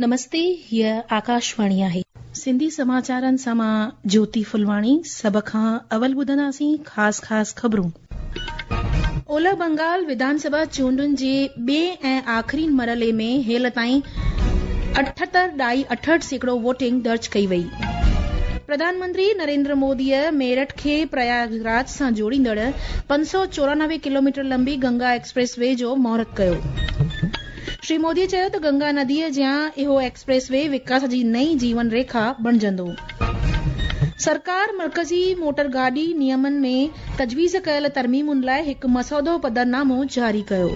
نمستي هيء آڪاشواڻي آهي. سنڌي سماچارن سان مان جوتي ڦلواڻي سڀ کان اول ٻڌنداسين خاص خاص خبرون. اولهه بنگال وڌان سڀا چونڊن جي ٻئين ۽ آخرين مرحلي ۾ هيل تائين اٺهتر ڏائي 68% ووٽنگ درج ڪئي وئي. پرڌان منتري نريندر موديء ميرٺ کي پرياگ راج سان جوڙيندڙ 594 ڪلوميٽر لنبي گنگا ايڪسپريس وي جو مهورت ڪيو. شري مودي چيو ته گنگا نديء جيان اهو ايڪسپريس وي وڪاس جي نئين جيون ريکا بڻجندو. سرڪار مرڪزي موٽر گاڏي نيمن ۾ تجويز ڪيل ترميمن لاء هڪ مسودو پڌرنامو جاري ڪيو.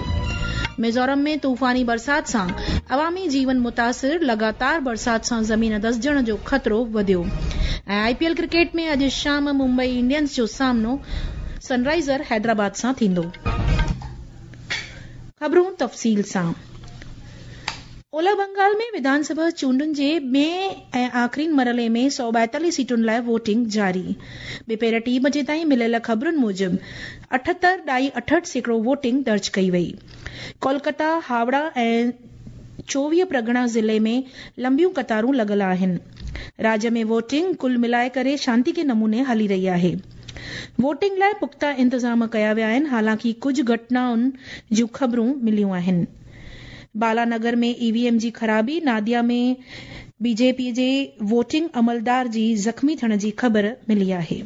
ميزورم ۾ طوفاني برسات سان عوامي جيون متاثر، لڳاتار برسات سان زمين دسجڻ جو خطرو وڌيو ۽ آء پي ايل ڪرڪيٽ ۾ اڄ شام ممبئي انڊينز جو سامنو سن رائيزر حيدرآباد سان ٿيندو. خبرون تفصيل سان اولهه بنگال ۾ وڌان سڀا چونڊن جي ٻئين ۽ آخرين مرحلي ۾ 142 سيٽن لاء ووٽنگ جاري. ٻپهر ٽي بجي تائين مليل خبرن موجب اٺهتر ڏائي 68% ووٽنگ درج ڪئي وئي. ڪولڪتا، هاوڙا ۽ 24 پرڳڻا ضلعي ۾ لنبيون قطارون لڳل آهن. راڄ ۾ ووٽنگ ڪل ملائي ڪري شانتيڪي نموني هلي رهي آهي. ووٽنگ لاء پختا انتظام ڪيا ويا آهن حالانڪه ڪجهه گهٽنائن جون خبرون مليون آهن. بالا نگر ۾ اي وي ايم جي خرابي، ناديا ۾ بي جي پي جي ووٽنگ عملدار جي زخمي ٿيڻ جي خبر ملي آهي.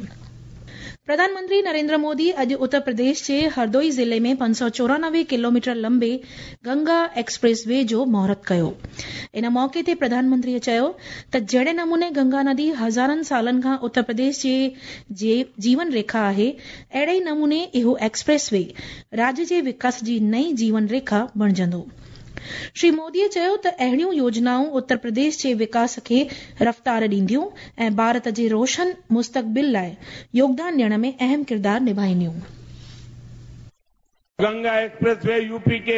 پرڌان منتري نريندر مودي اڄ اتر پرديش جي هردوئي ضلعي ۾ 594 ڪلوميٽر لنبي گنگا ايڪسپريس وي جو مهورت ڪيو. ان موقعي تي پرڌان منتري چيو ته جهڙي نموني گنگا ندي هزارن سالن کان اتر پرديش جي جيون ريکا آهي، اهڙي ئي نموني اهو ايڪسپريس وي راڄ جي وڪاس جي نئين جيون ريکا بڻجندو. شري مودي چيو ته اهڙيون يوجنائون اتر پرديش جي وڪاس کي رفتار ڏينديون ۽ ڀارت جي روشن مستقبل لاء يوگدان ڏيڻ ۾ اهم ڪردار نڀائينديون. गंगा एक्सप्रेस वे यूपी के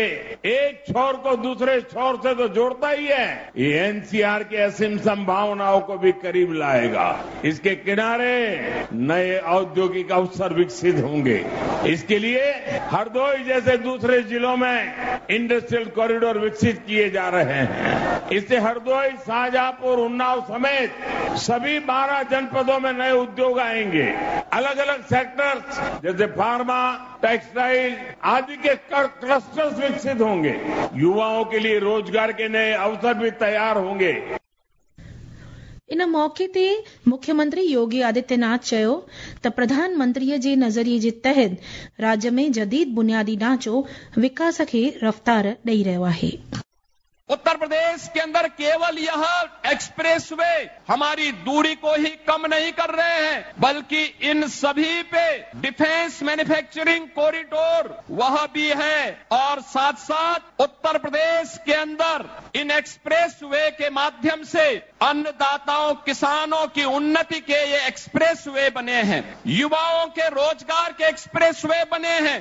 एक छोर को दूसरे छोर से तो जोड़ता ही है, ये एनसीआर के असीम संभावनाओं को भी करीब लाएगा। इसके किनारे नए औद्योगिक अवसर विकसित होंगे। इसके लिए हरदोई जैसे दूसरे जिलों में इंडस्ट्रियल कॉरिडोर विकसित किए जा रहे हैं। इससे हरदोई, शाहजहांपुर, उन्नाव समेत सभी 12 जनपदों में नए उद्योग आएंगे। अलग अलग सेक्टर्स जैसे फार्मा, टेक्सटाइल आदि के क्लस्टर्स विकसित होंगे। युवाओं के लिए रोजगार के नए अवसर भी तैयार होंगे। ان موقعي تي مکيه منتري يوگي آدتيه ناٿ چيو ته پرڌان منتري جي نظريي جي تحت راڄ ۾ جديد بنيادي ڍانچو وڪاس کي رفتار ڏئي رهيو آهي. उत्तर प्रदेश के अंदर केवल यह एक्सप्रेस वे हमारी दूरी को ही कम नहीं कर रहे हैं, बल्कि इन सभी पे डिफेंस मैन्युफैक्चरिंग कॉरिडोर वह भी है और साथ साथ उत्तर प्रदेश के अंदर इन एक्सप्रेस वे के माध्यम से अन्नदाताओं, किसानों की उन्नति के ये एक्सप्रेस वे बने हैं, युवाओं के रोजगार के एक्सप्रेस वे बने हैं।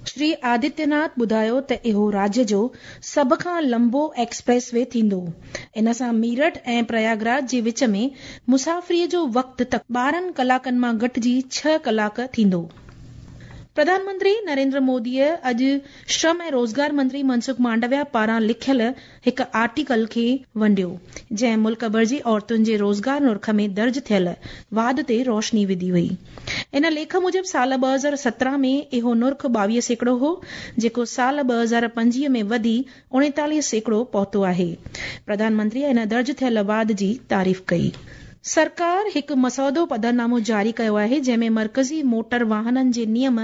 شري آدتيه ناٿ ٻڌايو ته اهو راڄ جو سڀ کان لنبو ايڪسپريس وي ٿيندو. ان سان ميرٺ ۽ پرياگراج جي وچ ۾ مسافريء جو وقت 12 ڪلاڪن مان گهٽجي ڇهه ڪلاڪ ٿيندو. پرڌان منتري نريندر موديء اڄ شرم ۽ روزگار منتري منسک مانڊويا پاران لکيل هڪ آرٽيڪل کي ونڊيو، جنهن ملڪ ڀر جي عورتن جي روزگار نرخ ۾ درج ٿيل واڌ تي روشني وڌي هئي. ان ليک موجب سال 2017 ۾ اهو نرخ 22% هو، جيڪو سال 2025 ۾ وڌي 39% پهتو آهي. پرڌان منتري ان درج ٿيل واڌ جي تعريف ڪئي. سرڪار هڪ مسودو پڌرنامو جاري ڪيو آهي، جنهن ۾ مرڪزي موٽر واهنن جي نيم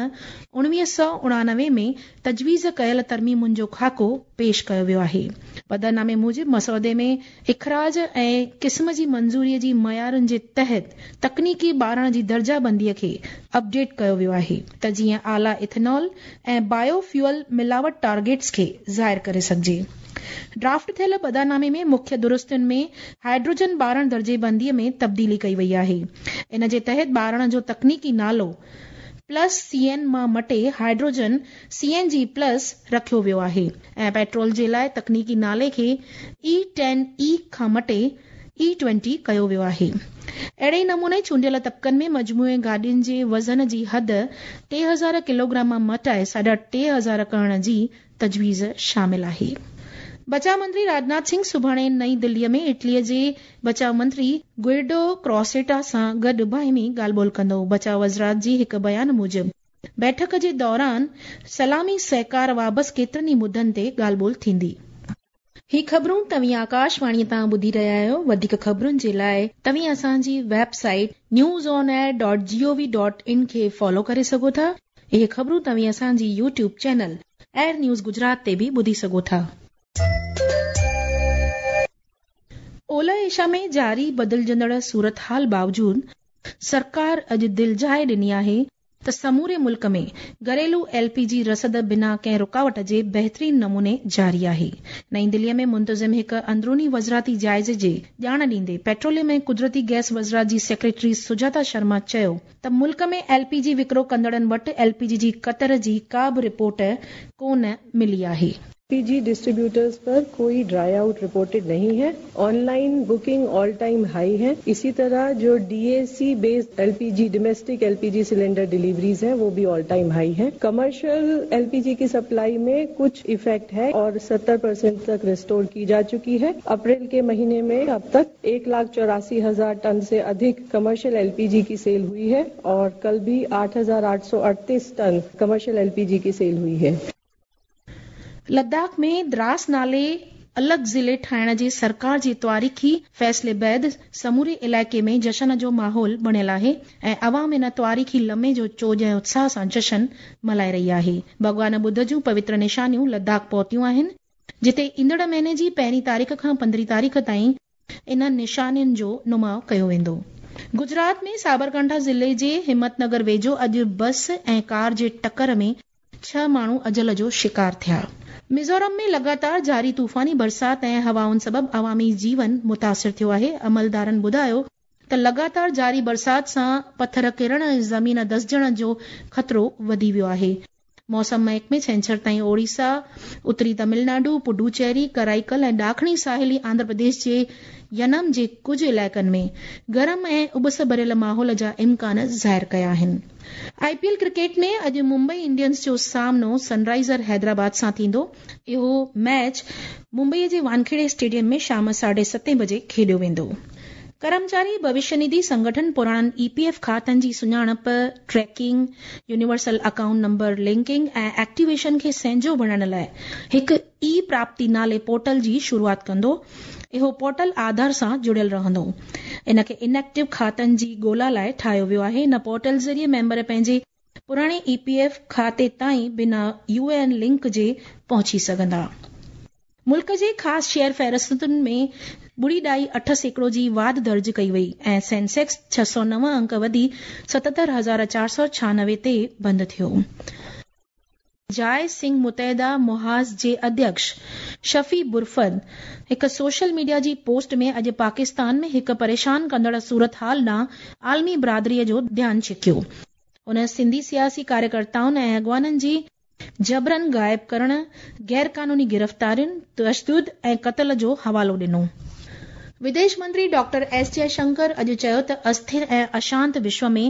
1989 ۾ تجويز ڪيل ترميمن جو خاڪو پيش ڪيو ويو آهي. پڌرنامي موجب مسودي ۾ اخراج ۽ قسم جي منظوري جي معيارن جي تحت تڪنيڪي ٻارڻ جي درجه بندي کي اپڊيٽ ڪيو ويو آهي ته جيئن اعليٰ ايٿنول ۽ بايو فيول ملاوٽ ٽارگيٽس کي ظاهر ڪري سگهجي. ڊرافٽ ٿيل پڌرنامي ۾ مکيه درستين ۾ هائيڊروجن ٻارڻ درجي بندي ۾ تبديلي ڪئي وئي آهي. ان جي تحت ٻارڻ جو تڪنيڪي نالو پلس سي اين مان مٽي hydrogen C N G plus رکيو ويو آهي ۽ پيٽرول جي لاء تڪنيڪي نالي کي اي ٽين اي کان مٽي اي ٽوئنٽي ڪيو ويو آهي. اهڙي ئي نموني چونڊيل طبقن ۾ مجموعي گاڏين جي وزن جي حد 3000 ڪلوگرام مان مٽائي ساڍا ٽي هزار ڪرڻ جي تجويز شامل آهي. بچاء منتري راجناٿ سنگهه سڀاڻي نئين دلي ۾ اٽلي جي بچاء منتري گوئڊو ڪراسيٽا سان گڏ باهمي ڳالهه ٻولهه ڪندو. بچاء وزارت جي هڪ بيان موجب بيٺڪ جي دوران سلامي سهڪار وابس ڪيترن ئي مدن تي ڳالهه ٻولهه ٿيندي. هي خبرون توهين آڪاشواڻي تان ٻڌي رهيا آهيو. وڌيڪ خبرن جي لاء توهين اسان جي web site news on air dot G O V dot in کي فالو ڪري سگهو ٿا. اهي خبرون توهين اسان جي YouTube channel AIR news Gujarat تي به ٻڌي سگهو ٿا. اولهه ايشيا ۾ جاري بدلجندڙ صورتحال باوجود سرڪار اڄ دلجاء ڏني آهي ته سموري ملڪ ۾ گهريلو ايل پي جي رسد بنا ڪنهن رڪاوٽ جي بهترين نموني جاري آهي. نئين دلي ۾ منتظم هڪ اندروني وزارتي جائزي جي ڄاڻ ڏيندي پيٽروليم ۽ قدرتي گئس وزارت جي سيڪريٽري سجاتا شرما چيو ته ملڪ ۾ ايل پي جي وڪرو ڪندڙن وٽ ايل پي جي جي ڪتر جي ڪا به رپورٽ ڪونه ملي آهي. پي جي ڊسٽريبيوٽرز پر ڪوئي ڊرائي آئوٽ رپورٽيڊ نهين هي، online booking all time high هي، اسي طرح جو D A C based L P G domestic L P G cylinder deliveries هين وو ڀي آل ٽائيم هائي هين، ڪمرشل ايل پي جي ڪي سپلائي مين ڪجهه افيڪٽ هي اور 70% تڪ ريسٽور ڪي جا چڪي هي، اپريل ڪي مهيني مين اب تڪ 1,84,000 ٽن سي اڌڪ ڪمرشل ايل پي جي ڪي سيل هئي هي اور ڪل ڀي 8,838 ٽن ڪمرشل ايل پي جي ڪي سيل هئي هي. لداخ ۾ دراس نالي الڳ ضلعي ٺاهڻ جي سرڪار جي تواريخي فيصلي بعد سموري علائقي ۾ جشن جو ماحول بڻيل آهي ۽ عوام ان تواريخي لمحي جو چوڄ ۽ اتساهه سان جشن ملهائي رهي آهي. ڀڳوان ٻڌ جون پوتر نشانيون لداخ پهتيون آهن، جتي ايندڙ مهيني جي پهرين تاريخ کان پندرهين تاريخ تائين انهن نشانين جو نماء ڪيو ويندو. گجرات ۾ سابرڪانٺا ضلعي جي همت نگر ويجهو اڄ بس ۽ ڪار جي ٽڪر ۾ ڇهه ماڻهو اجل جو شڪار ٿيا. ميزورم ۾ لڳاتار جاري طوفاني برسات ۽ هوائن سبب عوامي جيون متاثر ٿيو آهي. عملدارن ٻڌايو ته لڳاتار جاري برسات سان پٿر ڪرڻ ۽ زمين دسجڻ جو خطرو وڌي ويو آهي. موسم محڪمي ڇنڇر تائين اوڙيسا، اتري تمل ناڊو، پڊوچيري، ڪرائيڪل ۽ ڏاکڻي ساحلي آنڌرا پرديش جي ينم جي ڪجهه علائقن ۾ گرم ۽ اٻس ڀريل ماحول جا امڪان ظاهر ڪيا آهن. آء پي ايل ڪرڪيٽ ۾ اڄ ممبئي انڊينز جو سامنو سن رائيزر حيدرآباد سان ٿيندو. اهو ميچ ممبئي جي وانکيڙي اسٽيڊيم ۾ شام ساڍي ستين بجي کيڏيو ويندو. ڪرمچاري ڀوشيه نڌي سنگٺن پراڻن اي پي ايف کاتن جي سڃاڻپ، tracking, universal account number linking ۽ activation کي سهنجو بڻائڻ لاء هڪ اي پراپتي نالي پورٽل جي شروعات ڪندو. اهو پورٽل آڌار سان جڙيل رهندو. ان کي ان ايڪٽو کاتن جي ڳولا لاء ٺاهيو ويو آهي. ان پورٽل ذريعي ميمبر پنهنجي پراڻي اي پي ايف کاتي تائين بنا يو اي اين لنڪ جي پهچي سگهندا. ملڪ جي خاص شيئر فهرستن ۾ ٻڙي ڏائي 8% جي واڌ درج ڪئي وئي ۽ سينسيڪس 609 انڪ وڌي 77,496 تي بند ٿيو. جاء سنگهه متحده محاذ جي اڌيڪش شفيع برفت هڪ سوشل ميڊيا جي پوسٽ ۾ اڄ پاڪستان ۾ هڪ پريشان ڪندڙ صورتحال ڏانهن عالمي برادري جو ڌيان ڇڪيو. هن سنڌي سياسي ڪاريڪرتائن ۽ اڳواڻن جي جبرن غائب ڪرڻ، غيرقانوني گرفتارين، تشدد ۽ قتل جو حوالو ڏنو. وديش منتري ڊاڪٽر ايس جئه شنڪر اڄ چيو ته اسٿر ۽ اشانت وشو ۾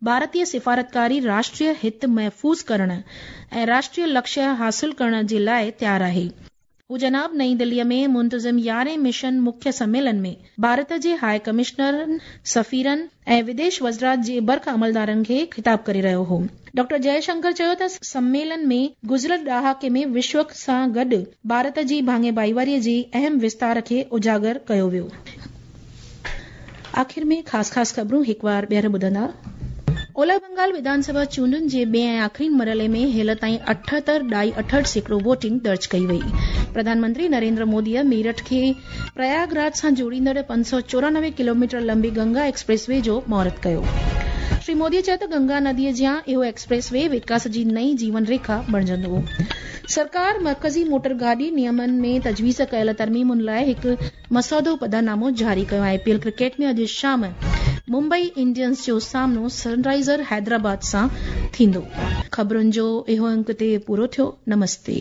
ڀارتي سفارتڪاري راشٽريه هت محفوظ ڪرڻ ۽ راشٽريه لڪشيه حاصل ڪرڻ جي لاء تيار آهي. هو جناب نئين دلي ۾ منتظم يارهين مشن مکيه سميلن ۾ ڀارت جي هاء ڪمشنرن، سفيرن ۽ وديش وزرات جي برک عملدارن کي خطاب ڪري رهيو هو. ڊاڪٽر جئه شنڪر چيو ته سميلن ۾ گذريل ڏهاڪي ۾ وشو سان گڏ ڀارت جي ڀاڱي ڀائيواري جي اهم وستار کي اجاگر ڪيو ويو. آخر ۾ خاص خاص خبرون هڪ وار ٻيهر ٻڌندا. اولهه بنگال وڌان سڀا چونڊن جي ٻئي ۽ آخرين مرحلي ۾ هيل تائين اٺهتر ڏائي اٺهٺ سيڪڙو ووٽنگ درج ڪئي وئي. پرڌان منتري نريندر موديء ميرٺ کي پرياگ راج سان جوڙيندڙ 594 ڪلوميٽر لنبي گنگا ايڪسپريس وي جو مهورت ڪيو. شري مودي چيو ته گنگا نديء جيان اهو ايڪسپريس وي وڪاس جي نئين جيون ريکا بڻجندو. سرڪار مرڪزي موٽر گاڏي نيمن ۾ تجويز ڪيل ترميمن لاء هڪ مسودو پڌرنامو جاري ڪيو. آء پي ايل ڪرڪيٽ ۾ اڄ شام ممبئي انڊينز جو سامنو سن رائيزر حيدرآباد سان ٿيندو. خبرن جو اهو انڪ اتي پورو ٿيو. نمستي.